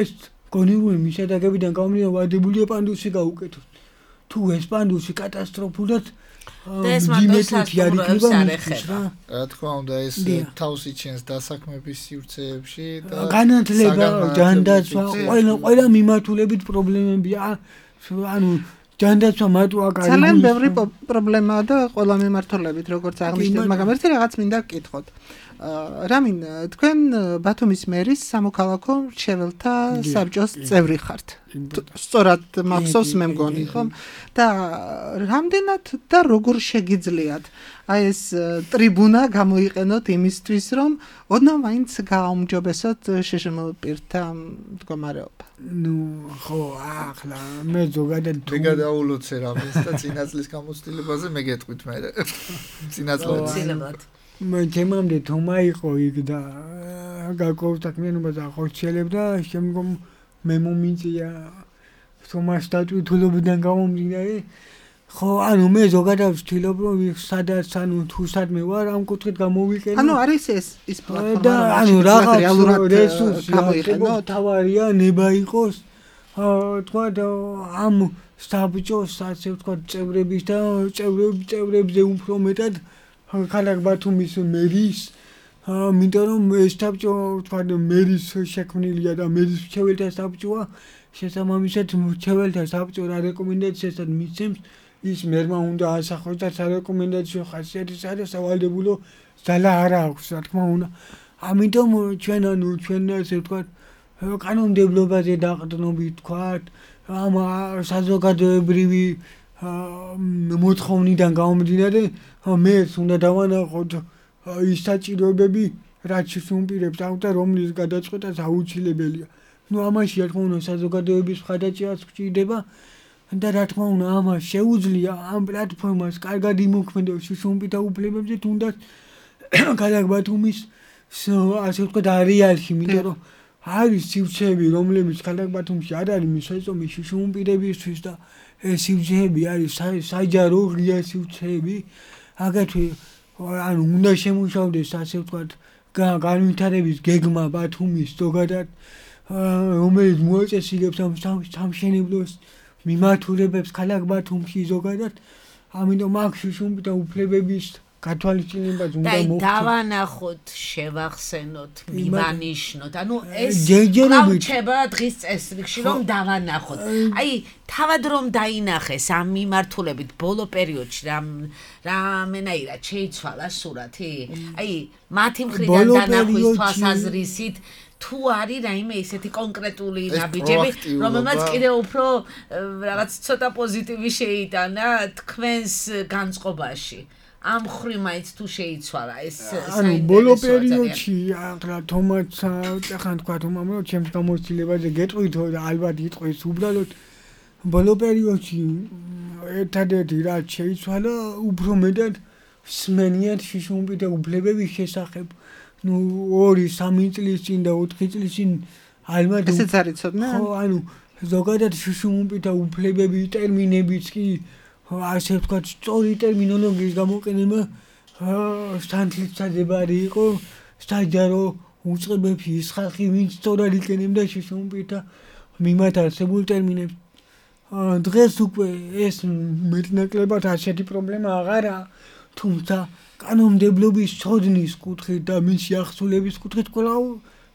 ეს გონივრული მისადაგებიდან გამომდინარე ვალდებულია პანდუსი გაუკეთოს. თუ ეს პანდუსი კატასტროფულად ეს მარტო არ ეხება. რა თქმა უნდა, ეს თავს იჩენს დასაქმების სივრცეებში და განათლება, ჯანდაცვა, ყველა მიმართულებით პრობლემებია. ანუ ჯანდაცვა მარტო აკარი. ძალიან ბევრი პრობლემაა და ყველა მიმართულებით, როგორც აღნიშნეთ, მაგრამ ერთი რაღაც მინდა გკითხოთ. რამინ, თქვენ ბათუმის მერის სამოქალაქო მრჩეველთა საბჭოს წევრი ხართ. სწორად მახსოვს მე მგონი, ხომ? და რამდენად და როგორ შეგიძლიათ აი ეს ტრიბუნა გამოიყენოთ იმისთვის, რომ ოდნავ მაინც გააუმჯობესოთ შშმ პირთა მდგომარეობა. ხო, ახლა მე ზოგადად მე გადაულოცე რამეს და წინასწრის გამოცდილებაზე მე გეტყვით მე. წინასწრად მე თემამდე თომა იყო იქ და გაკოვრთაკმიანობა და ხორციელებდა შემდგომ მე მომიწია თომა სტატუტულობიდან გამომდინარე ხო ანუ მე ზოგადად ვთვლობ რომ სადაც ანუ თუ სადმე ვარ ამ კუთხით გამოვიყენო ანუ არის ის პლატფორმა და ანუ რაღაც რესურსი გამოიყენო თავარია ნება იყოს თქვა ამ საბჭოს ასე ვთქვა წევრების და წევრებზე უფრო მეტად ქალაქ ბათუმის მერის მინდა რომ ეს საბჭო თქვა მერის შექმნილია და მერის მრჩეველთა საბჭოა შესაბამისად მრჩეველთა საბჭო რა რეკომენდაციას მისცემს ის მერმა უნდა ასახოს და სარეკომენდაციო ხასიათის არის სავალდებულო ძალა არ აქვს რა თქმა უნდა ამიტომ ჩვენ ასე ვთქვა კანონმდებლობაზე დაყრდნობით ვთქვა ამ საზოგადოებრივი მოთხოვნიდან გამომდინარე მე უნდა დავანახოთ ის საჭიროებები რაც შეუმპირებს აუთ და რომლის გადაწყვეტას აუცილებელია ნუ ამაში რა თქმა უნდა საზოგადოების მხარდაჭერაც გვჭირდება და რა თქმა უნდა ამას შეუძლია ამ პლატფორმას კარგად იმოქმედოს შეუმპირთა უფლებებზე თუნდაც ქალაქ ბათუმის ასე ვთქვათ არეალში იმიტომ რომ არის სივრცეები რომლებიც ქალაქ ბათუმში არ არის მისაწომი შეუმპირებისთვის და ეს სივრცეები არის საჯარო ღია სივრცეები აგრეთვე ანუ უნდა შემუშავდეს ასე ვთქვათ განვითარების გეგმა ბათუმის ზოგადად რომელიც მოაწესრიგებს ამ სამშენებლოს მიმართულებებს ქალაქ ბათუმში ზოგადად ამიტომ აქ შეუმპირთა უფლებების გათვალისწინებაც უნდა მოხდეს. დავანახოთ, შევახსენოთ, მივანიშნოთ. ანუ ეს კავშირება დღის წესრიგში რომ დავანახოთ. აი, თავად რომ დაინახეს ამ მიმართულებით ბოლო პერიოდში რამენაირად შეიცვალა სურათი? აი, მათი მხრიდან დანახვის თვალსაზრისით თუ არის რაიმე ისეთი კონკრეტული ნაბიჯები, რომელმაც კიდევ უფრო რაღაც ცოტა პოზიტივი შეიტანა თქვენს განწყობაში. ამ ხრი მაინც თუ შეიცვალა ეს ანუ ბოლო პერიოდში ახლა თომაც ახლა თქვა თომამ რომ ჩემს გამოცდილებაზე გეტყვითო და ალბათ იტყვის უბრალოდ ბოლო პერიოდში ერთადერთი რაც შეიცვალა უფრო მეტად სმენიათ შეუმპირთა უფლებების შესახებ ნუ 2-3 წლის წინ და 4 წლის წინ ალბათ ესეც არის ცოდნა ხო ანუ ზოგადად შეუმპირთა უფლებები ტერმინებიც კი ასე ვთქვათ, სწორი ტერმინოლოგიის გამოყენება სანთლისმცადებარი იყო საჯარო უწყებებში ის ხალხი, ვინც სწორად იყენებდა შეუმპირთა მიმართ არსებულ ტერმინებს. დღეს უკვე ეს მეტნაკლებად ასეთი პრობლემა აღარაა, თუმცა კანონმდებლობის ცოდნის კუთხით და მისი ახსნილების კუთხით კვლავ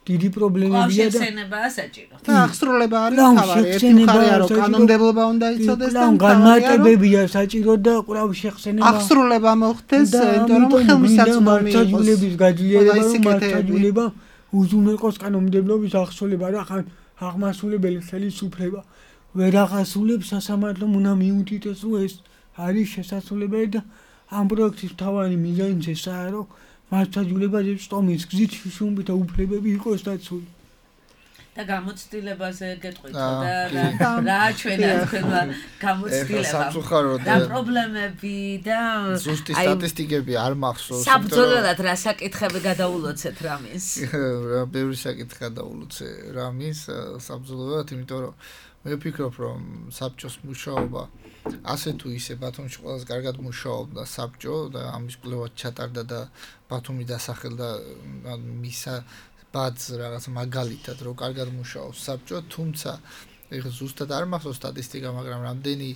დიდი პრობლემებია და ახსენებაა საჭირო. და ახსრულება არის თავარი, ერთი მხარეა რომ კანონმდებლობა უნდა იცოდეს და განმარტებებია საჭირო და კვლავ შეხსენება. ახსრულება მოხდეს, იმიტომ რომ ხელმისაწვდომი იყოს. მართლობის გაძლიერება, მართლობა უზრუნველყოს კანონმდებლობის ახსრულება და აღმასრულებელი ხელისუფლება ვერ ახასრულებს სასამართლომ უნდა მიუთითოს რომ ეს არის შესაძლებელი და ამ პროექტის თავარი მიზანიც ესაა რომ მართლობაზე სტომის გზით შეუმპირთა უფლებები იყოს დაცული. და გამოცდილებაზე გეტყვით და რა ჩვენა თქვენმა გამოცდილება და პრობლემები და ზუსტი სტატისტიკები არ მახსოვს. საბრძოლველად რა საკითხები გადაულოცეთ რამის? ბევრი საკითხი გადაულოცე რამის საბრძოლველად, იმიტომ რომ მე ვფიქრობ რომ საბჭოს მუშაობა ასე თუ ისე ბათუმში ყველაზე კარგად მუშაობდა საბჭო და ამის კვლევაც ჩატარდა და ბათუმი დასახელდა მისა ბადს რაღაც მაგალითად რომ კარგად მუშაობს საბჭო თუმცა ეხლა ზუსტად არ მახსოვს სტატისტიკა მაგრამ რამდენი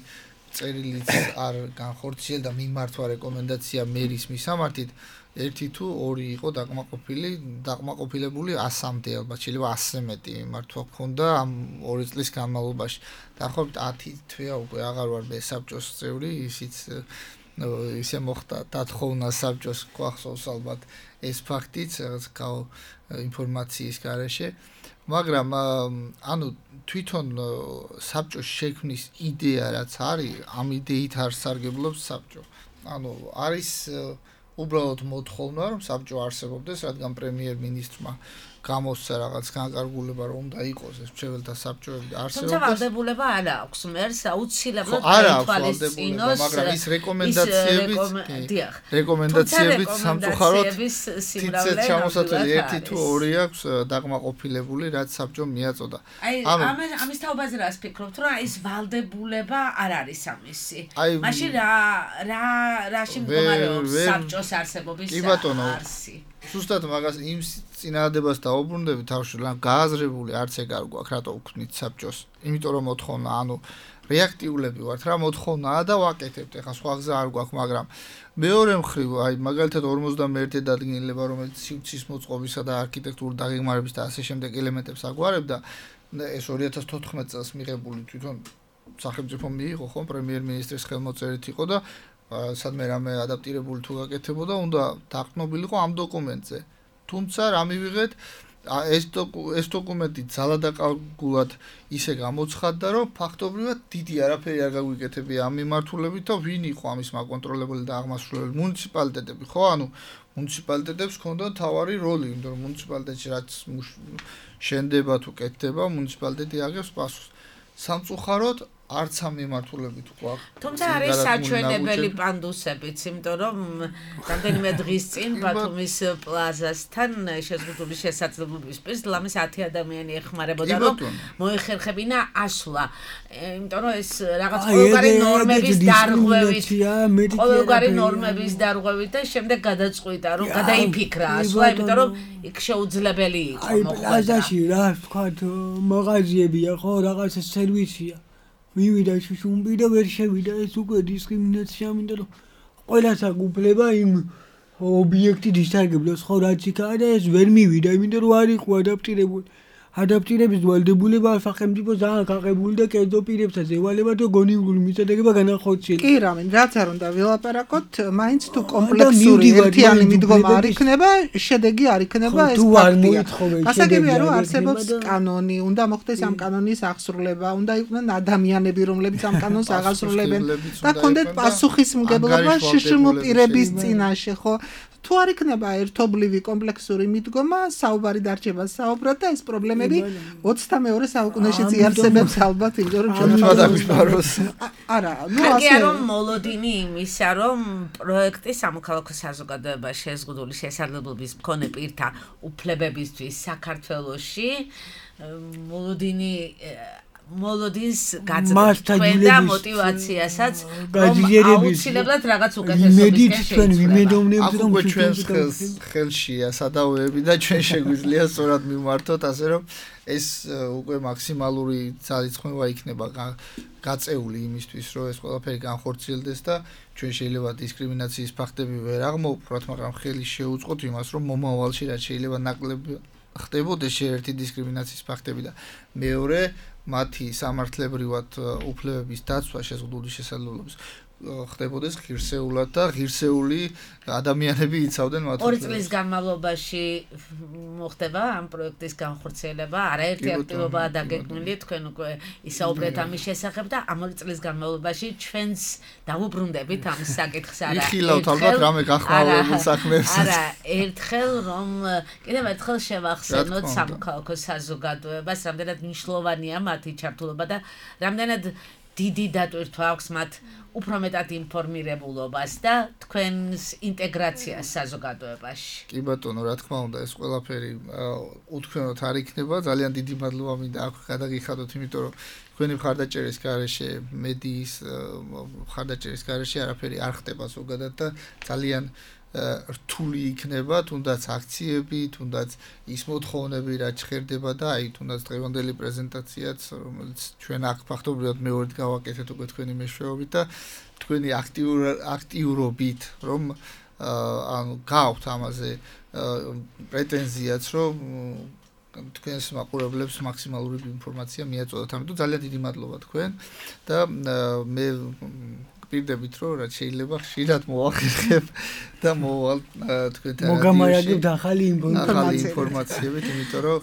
წერილიც არ განხორციელდა და მიმართვა რეკომენდაცია მერის მისამართით ერთი თუ ორი იყო დაკმაყოფილებული 100-მდე ალბათ შეიძლება 100-ზე მეტი მიმართვა ჰქონდა ამ 2 წლის განმავლობაში. დაახლოებით 10 თვეა უკვე აღარ ვარ მე საბჭოს წევრი, ისიც ისე მოხდა დათხოვნა საბჭოს გვახსოვს ალბათ ეს ფაქტიც რაღაც ინფორმაციის გარეშე. მაგრამ ანუ თვითონ საბჭოს შექმნის იდეა რაც არის, ამ იდეით არ სარგებლობს საბჭო. ანუ არის უბრალოდ მოთხოვნა რომ საბჭო არსებობდეს, რადგან პრემიერ-მინისტრმა გამოსცა რაღაც განკარგულება რომ უნდა იყოს ეს მრჩეველთა საბჭოები და არსებობდეს. თუმცა ვალდებულება არ აქვს. მერს აუცილებლად გაითვალისწინოს, მაგრამ ის რეკომენდაციებით სამწუხაროდ თითქოს ჩამოსაწველი ერთი თუ ორი აქვს დაკმაყოფილებული, რაც საბჭომ მიაწოდა. ამის თაობაზე რას ფიქრობთ, რომ ეს ვალდებულება არ არის ამისი. მაშინ რაში მდგომარეობს საბჭოს არსებობის არსი? ზუსტად მაგას იმ წინააღმდეგობას დაუბრუნდები თავში, რომ გააზრებული არც ეგ არ გვაქვს, რატო ვქნით საბჭოს. იმიტომ რომ მოთხოვნა, ანუ რეაქტიულები ვართ, რა მოთხოვნაა და ვაკეთებთ. ეხლა სხვა გზა არ გვაქვს, მაგრამ მეორე მხრივ, მაგალითად 51 დადგენილება, რომელიც სივრცის მოწყობისა და არქიტექტურული დაგეგმარების და ასე შემდეგ ელემენტებს აგვარებდა, ეს 2014 წელს მიღებული თვითონ სახელმწიფო მიიღო, ხო, პრემიერ-მინისტრის ხელმოწერით იყო და სადმე რამე ადაპტირებული თუ გაკეთებოდა, უნდა დაყრდნობილიყო ამ დოკუმენტზე. თუმცა რა მივიღეთ, ეს დოკუმენტი ძალადაკარგულად ისე გამოცხადდა, რომ ფაქტობრივად დიდი არაფერი არ გაგვიკეთებია ამ მიმართულებით და ვინ იყო ამის მაკონტროლებელი და აღმასრულებელი მუნიციპალიტეტები, ხო? ანუ მუნიციპალიტეტებს ჰქონდა თავარი როლი, იმიტომ რომ მუნიციპალიტეტში რაც შენდება თუ კეთდება, მუნიციპალიტეტი აღებს პასუხს. სამწუხაროდ არც ამ მიმართულებით გვაქვს. თუმცა არის საჩვენებელი პანდუსებიც, იმიტომ რომ რამდენიმე დღის წინ ბათუმის პლაზასთან შეზღუდული შესაძლებლობის პირს ლამის 10 ადამიანი ეხმარებოდა, რომ მოეხერხებინა ასვლა. იმიტომ რომ ეს რაღაც ყოველგვარი ნორმების დარღვევით და შემდეგ გადაწყვიტა, რომ გადაიფიქრა ასვლა, იმიტომ რომ იქ შეუძლებელი იყო მოხვედრა. პლაზაში რა ვთქვათ, მაღაზიებია, ხო, რაღაც სერვისია. მივიდა შუშუმბი და ვერ შევიდა ეს უკვე დისკრიმინაცია, იმიტომ რომ ყველას აქვს უფლება იმ ობიექტით ისარგებლოს, ხო, რაც იქაა და ეს ვერ მივიდა, იმიტომ რომ არ იყო ადაპტირებული. ადაპტირების ვალდებულება სახელმწიფო ძალიან გაყებული და კერძო პირებსაც ევალება და გონივრული მიწოდება განახორციელოს. კი, რამე, რაც არ უნდა ვილაპარაკოთ, მაინც თუ კომპლექსური ერთიანი მიდგომა არ იქნება, შედეგი არ იქნება ეს ფაქტია. გასაგებია, რომ არსებობს კანონი, უნდა მოხდეს ამ კანონის აღსრულება, უნდა იყვნენ ადამიანები, რომლებიც ამ კანონს აღასრულებენ და ქონდეთ პასუხისმგებლობა შშმ პირების წინაშე, ხო? თუ არ იქნება ერთობლივი კომპლექსური მიდგომა, საუბარი დარჩება საუბრად და ეს პრობლემები 22 საუკუნეშიც იარსებებს ალბათ, იმიტომ რომ არა, ნუ ასე რომ მოლოდინი იმისა, რომ პროექტი სამოქალაქო საზოგადოებაში შეზღუდული შესაძლებლობის მქონე პირთა უფლებებისთვის საქართველოში მოლოდინს გაძლევს და мотиваციასაც აუცილებლად რაღაც უკეთესობისკენ შეიქმნება. აქ ჩვენს ხელშია სადავეები და ჩვენ შეგვიძლია სწორად მიმართოთ, ასე რომ ეს უკვე მაქსიმალური ძალისხმევა იქნება გაწეული იმისთვის, რომ ეს ყველაფერი განხორციელდეს და ჩვენ შეიძლება დისკრიმინაციის ფაქტები ვერ აღმოვფრათ, მაგრამ ხელი შეუწყოთ იმას, რომ მომავალში რაც შეიძლება ნაკლები ხდებოდეს ერთი დისკრიმინაციის ფაქტები და მეორე მათი სამართლებრივად უფლებების დაცვა შეზღუდული შესაძლებლობის ხდებოდეს ღირსეულად და ღირსეული ადამიანები იცავდნენ მათ. 2 წლის განმავლობაში მოხდება ამ პროექტის განხორციელება, არაერთი აქტივობაა დაგეგმილი, თქვენ უკვე ისაუბრეთ ამის შესახებ და ამ 2 წლის განმავლობაში ჩვენს დავუბრუნდებით ამ საკითხს არა. იხილავთ ალბათ რამე გახმაურებულ საქმეებს. არა, ერთხელ რომ კიდევ ერთხელ შევახსენოთ სამოქალაქო საზოგადოებას, რამდენად მნიშვნელოვანია მათი ჩართულობა და რამდენად დიდი დატვირთვა აქვს მათ უფრო მეტად ინფორმირებულობას და თქვენს ინტეგრაციას საზოგადოებაში. კი ბატონო, რა თქმა უნდა, ეს ყველაფერი უთქვენოდ არ იქნება. ძალიან დიდი მადლობა მინდა აქ გადაგიხადოთ, იმიტომ რომ თქვენი მხარდაჭერის გარეშე, მედიის მხარდაჭერის გარეშე არაფერი არ ხდება ზოგადად და ძალიან რთული იქნება, თუნდაც აქციები, თუნდაც ის მოთხოვნები, რაც ჭირდება და აი თუნდაც დღევანდელი პრეზენტაციაც, რომელიც ჩვენ აქ ფაქტობრივად მეორედ გავაკეთეთ უკვე თქვენი მეშვეობით და თქვენი აქტიურობით, რომ ანუ გავთ ამაზე პრეტენზიაც, რომ თქვენს მაყურებლებს მაქსიმალური ინფორმაცია მიაწოდოთ. ამიტომ ძალიან დიდი მადლობა თქვენ და მე პირდებით რომ რაც შეიძლება ხშირად მოვახერხებ და მოვალ თქვენთან მოგამარაგებთ ახალი ინფორმაციებით, იმიტომ რომ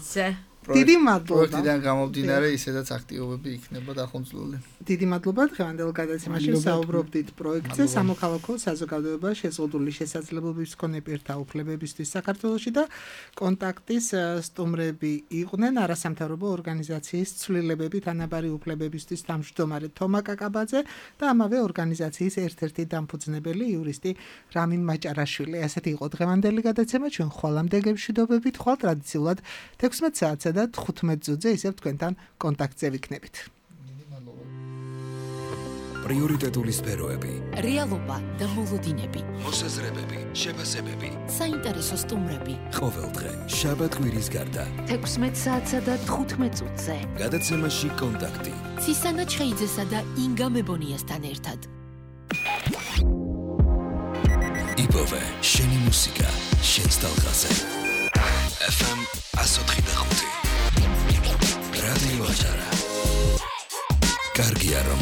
დიდი მადლობა. პროექტიდან გამომდინარე ისედაც აქტივობები იქნება დახუნძლული. დიდი მადლობა დღევანდელ გადაცემაში საუბრობდით პროექტზე სამოქალაქო საზოგადოება შეზღუდული შესაძლებლობების მქონე პირთა უფლებებისთვის საქართველოში და კონტაქტის სტუმრები იყვნენ არასამთავრობო ორგანიზაციის ცვლილებები თანაბარი უფლებებისთვის თავმჯდომარე თომა კაკაბაძე და ამავე ორგანიზაციის ერთ-ერთი დამფუძნებელი იურისტი რამინ მაჭარაშვილი. ასეთი იყო დღევანდელი გადაცემა. ჩვენ ხვალამდე გემშვიდობებით, ხვალ ტრადიციულად 16 საათსა და 15 წუთზე ისევ თქვენთან კონტაქტზე ვიქნებით. პრიორიტეტული სფეროები, რეალობა და მოლოდინები, მოსაზრებები, შეფასებები, საინტერესო სტუმრები. ყოველდღე შაბათ-კვირის გარდა 16 საათსა და 15 წუთზე. გადაცემაში კონტაქტი. ცისანა ჩხეიძესა და ინგა მებონიასთან ერთად. იპოვე შენი მუსიკა, შენს ტალღაზე. FM 104.5 რადიო აჭარა. კარგია რომ